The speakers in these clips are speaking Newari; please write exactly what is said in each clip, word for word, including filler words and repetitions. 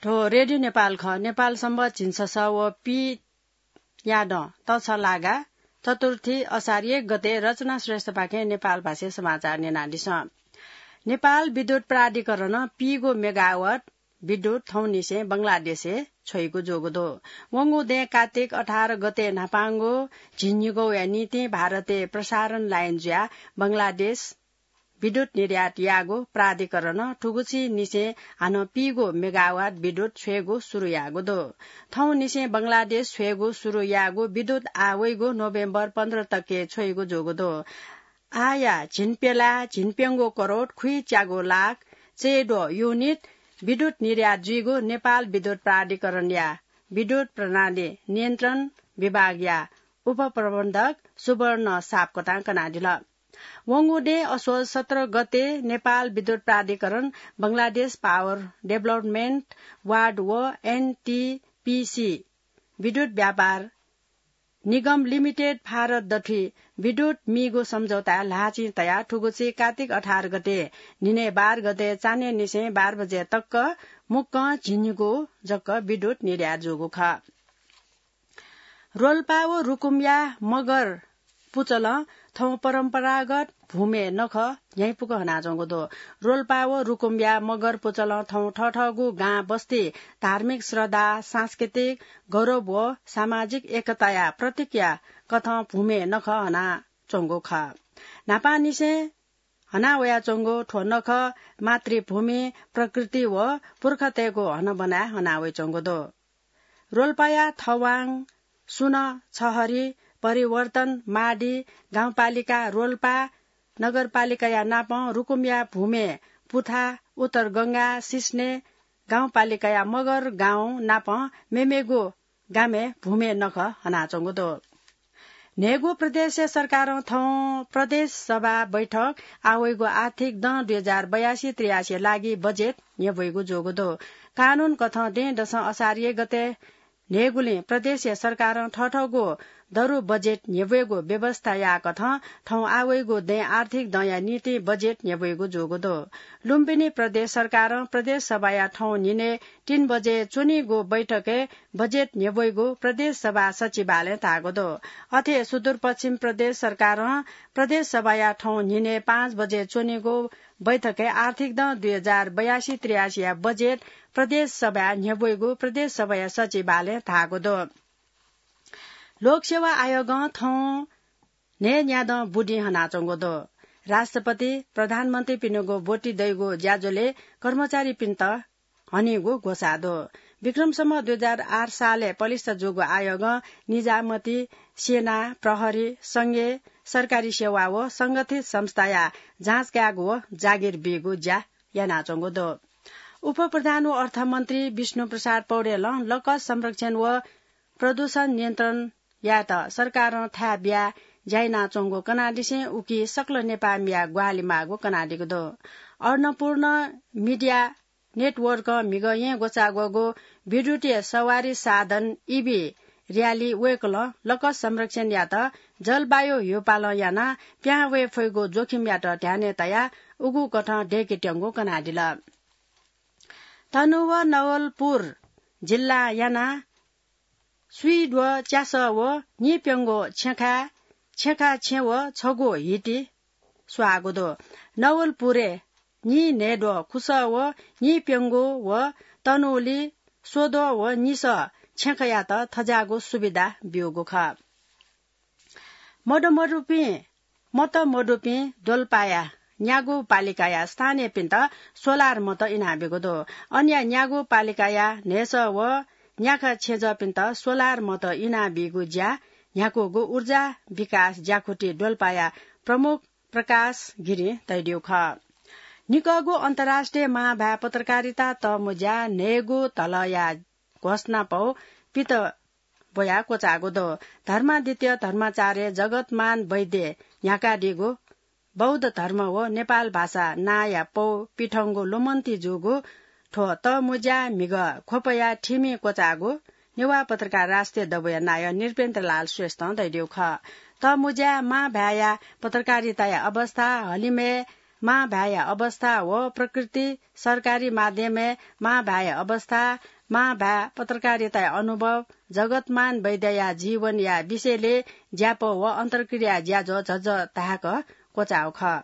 थ्व रेडियो नेपाल खः। नेपाल सम्बत झिंछसः व पीयादँ तछलागा चतुर्थी असार एक गते रचना श्रेष्ठपाखें नेपाल भाषाय् समाचार न्यनादिसँ। नेपाल विद्युत प्राधिकरणं पीगो मेगावाट विद्युत थौंनिसें बंगलादेशय् छ्वइगु जूगु दु। वंगु दँय् कातिक अठार गते न्हापांगु झिंनिगौया निंतिं भारतय् प्रसारण लाइन जुयाः बंगलादेश विद्युत निर्यात याःगु प्राधिकरणं थुगुचिंनिसें हानं पीगो मेगावाट विद्युत छ्वयेगु सुरु याःगु दु। थौंनिसें बंगलादेश छ्वयेगु सुरु याःगु विद्युत आः वइगु नोभेम्बर पन्ध्र तकय् छ्वइगु जूगु दु। आःया झिंप्यलाः झिंप्यंगू करोड खुइच्यागू लाख चय्द्वः युनिट विद्युत निर्यात जुइगु नेपाल विद्युत प्राधिकरणया विद्युत प्रणाली नियन्त्रण विभागया उपप्रबन्धक सुवर्ण सापकोटां कनादिल। वंगु दँय् असोज सत्र गते नेपाल विद्युत प्राधिकरण, बंगलादेश पावर डेभलपमेन्ट वार्ड व एनटीपीसी विद्युत व्यापार निगम लिमिटेड भारत दथुइ विद्युत मीगु सम्झौताय् ल्हाःचिं तयाः थुगुची कातिक अठार गते न्हिनय् बाह्र गते चान्हय्‌निसें बाह्र बजे तक मुक्कं झिंनिगू जक विद्युत निर्यात जूगु खः। रोल्पा व रुकुमया मगर पुचलं थौं परम्परागत भुमे नखः न्ह्याइपुक हनाच्वंगु दु। रोल्पा व रुकुमया मगर पुचलं थौं थःथःगु गां बस्ती धार्मिक श्रद्धा, सांस्कृतिक गौरव व सामाजिक एकताया प्रतीकया कथं भुमे नखः हनाच्वंगु खः। न्हापांनिसें हना वयाच्वंगु थ्व नखः मातृभूमि, प्रकृति व पुर्खातय्गु हनाबना हना वइच्वंगु दु। रोल्पाया थवाङ, सुन, छहरी, परिवर्तन, माडी गाउँपालिका, रोल्पा नगरपालिकाया नापं रुकुमया भुमे पुथा, उत्तर गंगा, सिस्ने गाउँपालिकाया मगर गाउँ नापं मेमेगु गामय् भुमे नखः हनाच्वंगु दु। न्हय्गू प्रदेशया सरकारं थौं प्रदेश सभा बैठक आः वइगु आर्थिक दँ दुई हजार बयासी त्रियासी लागि बजेट न्ह्यब्वइगु जूगु दु। कानून कथं दँय्‌दसं असार एक गते न्हय्गुलिं प्रदेशया सरकारं थःथःगु दरु बजेट न्ह्यब्वयेगु व्यवस्था याःकथं थौं आः वइगु दँय् आर्थिक दँया निंतिं बजेट न्ह्यब्वइगु जूगु दु। लुम्बिनी प्रदेश सरकारं प्रदेश सभाया थौं न्हिनय् तीन बजे च्वनीगु बैठकय् बजेट न्ह्यब्वइगु प्रदेश सभा सचिवालयं धाःगु दु। अथे सुदूरपश्चिम प्रदेश सरकारं प्रदेश सभाया थौं न्हिनय् पाँच बजे च्वनीगु बैठकय् आर्थिक दँ दुई हजार बयासी त्रियासीया बजेट प्रदेश सभाय् न्ह्यब्वइगु प्रदेश सभाया सचिवालयं धाःगु दु। लोकसेवा आयोगं थौं न्हय्न्यादँ बुदिं हनाच्वंगु दु। राष्ट्रपति, प्रधानमन्त्रीपिनिगु ब्वति दइगु ज्याझ्वलय् कर्मचारीपिन्त हनीगु ग्वसाः दु। विक्रम सम्वत दुई हजार आठ सालय् पलिस्था जूगु आयोगं निजामती, सेना, प्रहरी, संघीय सरकारी सेवा व संगठित संस्थाया जाँच कायेगु व जागिर बीगु ज्या यानाच्वंगु दु। उपप्रधान व अर्थमन्त्री विष्णु प्रसाद पौडेलं लकस संरक्षण व प्रदूषण नियन्त्रण यायेत सरकारं थाय् बियाः ज्या यानाच्वंगु कनादिसें उकी सकल नेपाःमिया ग्वाहालि माःगु कनादीगु दु। अन्नपूर्ण मिडिया नेटवर्कं म्हिगः येँ ग्वचाःग्वःगु विद्युतीय सवारी साधन ईभी र्‍याली वय्कलं लकस संरक्षणयात जलवायु ह्यूपालं यानाः पिहां वये फइगु जोखिमयात ध्यानय् तयाः उगु कथं दय्केत्यंगु कनादिल। तनहुँ व नवलपुर जिल्लां यानाः स्वीद्वः च्यासः व नीप्यंगू छेँखाय्, छेँखा छेँ व छगू हिति स्वाःगु दु। नवलपुरय् नीन्हय्द्वः खुसः व नीप्यंगू व तनहुँली स्वद्वः व निसः छेँखायात थज्याःगु सुविधा ब्यूगु खः। मदमदुपिं, मत मदुपिं द्वलपाया न्यागू पालिकाया स्थानीयपिन्त सोलार मत इनाबीगु दु। अनया न्यागू पालिकाया न्हय्सः व न्याखा छेँजःपिन्त सोलार मत इनाबीगु ज्या न्ह्याकूगु ऊर्जा विकास ज्याकुथि द्वलपाया प्रमुख प्रकाश गिरिं धयादीगु खः। निकःगु अन्तर्राष्ट्रिय महाभाय् पत्रकारिता तःमुँज्या न्हय्गू तलया घोषणापौ पित ब्वयाः क्वचाःगु दु। धर्मादित्य धर्माचार्य, जगतमान वैद्य न्ह्याकादीगु बौद्ध धर्म व नेपाल भाषा नांया पौ पिथंगु ल्वमन्ति जूगु थ्व तःमुँज्या म्हिगः ख्वपया थिमि क्वचाःगु नेवाः पत्रकार राष्ट्रिय दबूया नायः नृपेन्द्रलाल श्रेष्ठं धयादीगु खः। तःमुँज्या महाभाय्या पत्रकारिताया अवस्था, हलिमय् मांभाय्‌या अवस्था व प्रकृति, सरकारी माध्यमय् मांभाय्‌या अवस्था, मांभाय् पत्रकारिताया अनुभव, जगतमान वैद्यया जीवनया विषयले ज्यापौ व अन्तर्क्रिया ज्याझ्वः झःझः धायेक क्वचाःगु खः।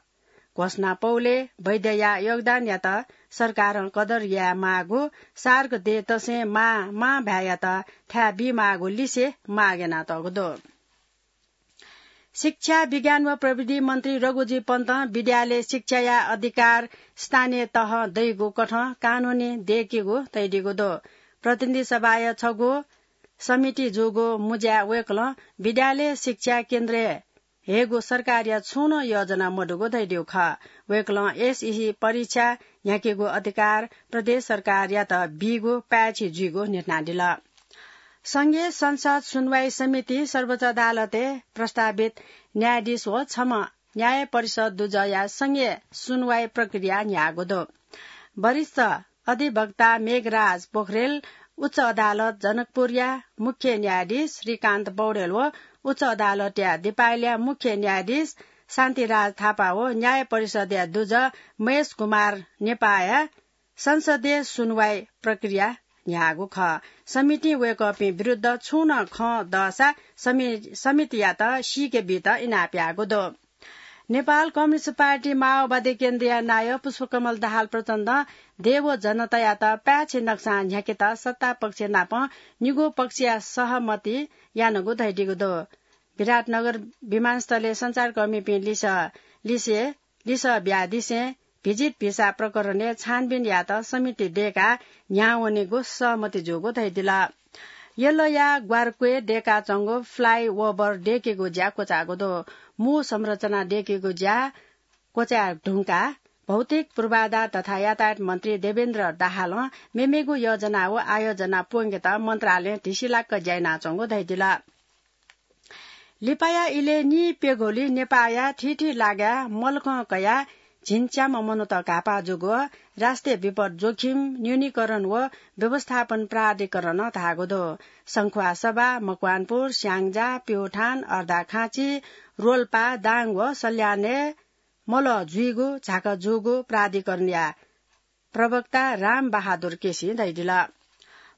घोषणा पौले वैद्यया योगदानयात सरकारं कदर यायेमाःगु, सार्क दे तसें मां, मांभाय्‌यात थाय् बीमाःगु लिसे माग यानातःगु दु। शिक्षा, विज्ञान व प्रविधि मन्त्री रघुजी पन्तं विद्यालय शिक्षाया अधिकार स्थानीय तहं दइगु कथं कानूनी दय्‌केगु तयादीगु दु। प्रतिनिधि सभाया छगू समिति जूगु मुँज्याय् वय्‌कलं विद्यालय शिक्षा केन्द्रय् हयेगु सरकारया छुं नं योजना मदुगु धयादीगु खः। वय्‌कलं एसईसी परीक्षा न्ह्याकेगु अधिकार प्रदेश सरकारयात बीगु पाय्‌छि जुइगु न्ह्यथनादिल। संघीय संसद सुनवाई समिति सर्वोच्च अदालतय् प्रस्तावित न्यायाधीश व छम्ह न्याय परिषद दुजःया संघीय सुनवाई प्रक्रिया न्ह्याःगु दु। वरिष्ठ अधिवक्ता मेघराज पोखरेल उच्च अदालत जनकपुरया मुख्य न्यायाधीश श्रीकान्त पौडेल व उच्च अदालतया दिपायलया मुख्य न्यायाधीश शान्तिराज थापा व न्याय परिषदया दुजः महेश कुमार नेपाःया संसदीय सुनवाई प्रक्रिया न्ह्याःगु खः। समितिं वय्‌कःपिं विरुद्ध छुं नं खँ दःसा समि-, समितियात सीके बीत इनाप याःगु दु। नेपाल कम्युनिस्ट पार्टी माओवादी केन्द्रया नायः पुष्पकमल दाहाल प्रचण्डं देय् व जनतायात पाय्‌छि नक्सां न्ह्याकेत सत्ता पक्ष नाप निगू पक्षया सहमति यानागु धयादीगु दु। विराटनगर विमानस्थलय् सञ्चारकर्मीपिं लिसः, लिसे, लिसः बियादिसें भिजिट भिसा प्रकरणय् छानबिन यायेत समिति दय्‌काः न्ह्याः वनेगु सहमति जूगु धयादिल। यलया ग्वारक्वय् दय्‌काच्वंगु फ्लाइओभर दय्‌केगु ज्या क्वचाःगु दु। मू संरचना दय्‌केगु ज्या क्वचाये धुंकाः भौतिक पूर्वाधार तथा यातायात मन्त्री देवेन्द्र दाहालं मेमेगु योजना व आयोजना प्वंकेत मन्त्रालयं धिसिलाक्क ज्या यानाच्वंगु धयादिल। लिपाया इलय् निइप्यघौली नेपाःया थीथी लागाय् मलखं कयाः झिंच्याम्ह मनूत घाःपाः जूगु राष्ट्रिय विपद जोखिम न्यूनीकरण व व्यवस्थापन प्राधिकरणं धाःगु दु। संख्वासभा, मकवानपुर, स्याङ्जा, प्यौठान, अर्धाखाँची, रोल्पा, दाङ व सल्यानय् मलः जुइगु झाका जूगु प्राधिकरणया प्रवक्ता राम बहादुर केसीं धयादिल।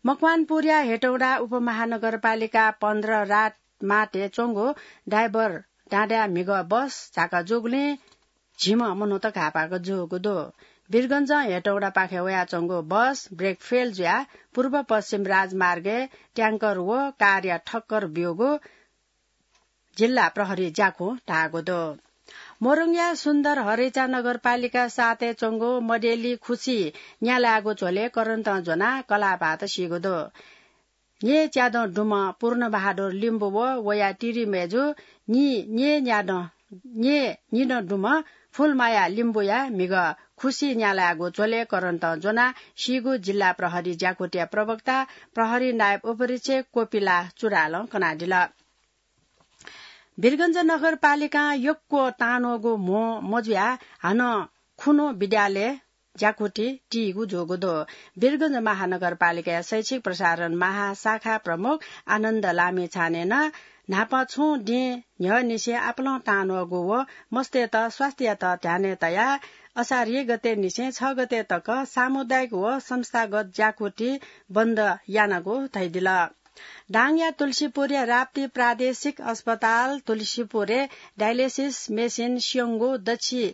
मकवानपुरया हेटौडा उपमहानगरपालिका पन्ध्र रात माथय् च्वंगु डाइभर डाँडाय् म्हिगः बस झाका जूगुलिं झिम्ह मनूत घाःपाः जूगु दु। वीरगञ्जं हेटौडापाखे वयाच्वंगु बस ब्रेक फेल जुयाः पूर्व पश्चिम राजमार्गय् ट्याङ्कर व कारया ठक्कर ब्यूगु जिल्ला प्रहरी ज्याखुं धाःगु दु। मोरङया सुन्दर हरैचा नगरपालिका सातय् च्वंगु मदेली खुसी न्यालायेगु झ्वलय् करन्तं ज्वनाः कलाःपात सीगु दु। न्येच्यादँ दुम्ह पूर्णबहादुर लिम्बू व वया तिरिमय्जु न्येच्यादँ, न्येच्यादँ दुम्ह फुलमाया लिम्बूया म्हिगः खुसी न्यालायेगु झ्वलय् करन्तं ज्वनाः सीगु जिल्ला प्रहरी ज्याकुथिया प्रवक्ता प्रहरी नायब उपरीक्षक कोपिला चुडालं कनादिल। वीरगञ्ज नगरपालिकां यक्व तांन्वःगु म्हो मजुयाः हानं खुन्हु विद्यालय ज्याकुथि तीगु जूगु दु। वीरगञ्ज महानगरपालिकाया शैक्षिक प्रसारण महाशाखा प्रमुख आनन्द लामिछानें नं न्हापा छुं दिं न्ह्यःनिसें आपालं तांन्वःगु व मस्तय्त स्वास्थ्ययात ध्यानय् तयाः असार एक गतेनिसें छ गते तक सामुदायिक व संस्थागत ज्याकुथि बन्द यानागु धयादिल। दाङया तुलसीपुरया राप्ती प्रादेशिक अस्पताल तुलसीपुरय् डायलिसिस मेसिन स्यंगु दछि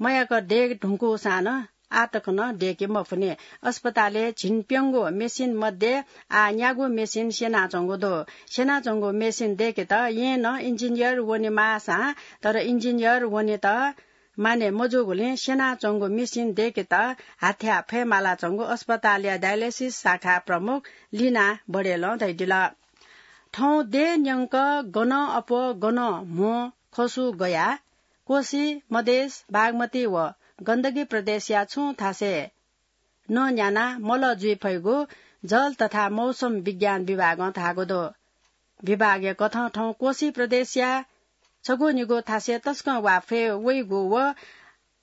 मयाक दये धुंकूसां नं आःतक नं दय्के मफुनि। अस्पतालय् झिंप्यंगू मेसिन मध्ये आः न्यागू मेसिन स्यनाच्वंगु दु। स्यनाच्वंगु मेसिन दय्केत यें नं इन्जिनियर वनेमाःसां, तर इन्जिनियर वनेत माने मजूगुलिं स्यनाच्वंगु मेसिन दय्केत हाथ्या फयेमालाच्वंगु अस्पतालया डायलिसिस शाखा प्रमुख लिना बडेलं धयादिल। थौं देय् न्यंक गनं अप्वः गनं म्हो खसु गयाः कोशी, मधेस, बागमती व गण्डकी प्रदेशया छुं थासय् नं न्यानाः मलः जुइ फइगु जल तथा मौसम विज्ञान विभागं धाःगु दु। विभागया कथं थौं कोशी प्रदेशया छगू निगू थासय् तसकं वा फय् वइगु व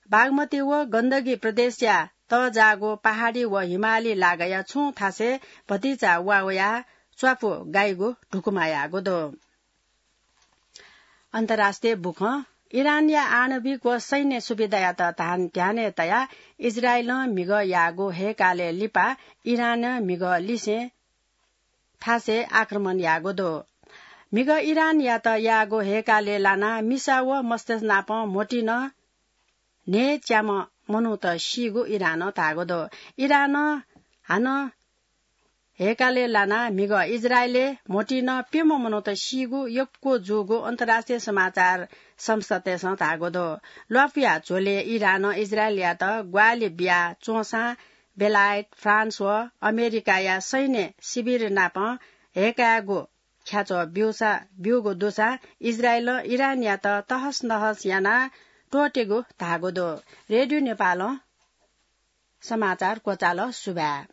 बागमती व गण्डकी प्रदेशया तःजाःगु पहाडी व हिमाली लागाया छुं थासय् भतिचा वा वयाः च्वापु गाइगु धुकुमा याःगु दु। अन्तर्राष्ट्रिय बुखँ इरानया आणविक व सैन्य सुविधायात ध्यानय् तयाः इजरायलं म्हिगः याःगु हय्‌कालय् लिपा इरानं म्हिगः लिसें थासय् आक्रमण याःगु दु। म्हिगः इरानयात याःगु हय्‌कालय् लानाः मिसा व मस्तिष्क नापं म्होतिं नं न्हय्‌च्याम्ह मनूत सीगु इरानं धाःगु दु। इरानं हानं हय्‌कालय् लानाः म्हिगः इजरायलय् म्होतिं नं प्यम्ह मनूत सीगु यक्व जूगु अन्तर्राष्ट्रिय समाचार संस्थातय्‌सं धाःगु दु। ल्वापुया झ्वलय् इरानं इजरायलयात ग्वाहालि बिया च्वंसां बेलायत, फ्रान्स व अमेरिकाया सैन्य शिविर नाप हय्‌कायेगु ख्याच्वः ब्यूगु दुसा इजरायलं इरानयात तहस नहस यानाः त्वःतेगु धाःगु दु। रेडियो नेपालं समाचार क्वचाल। सुभाय्।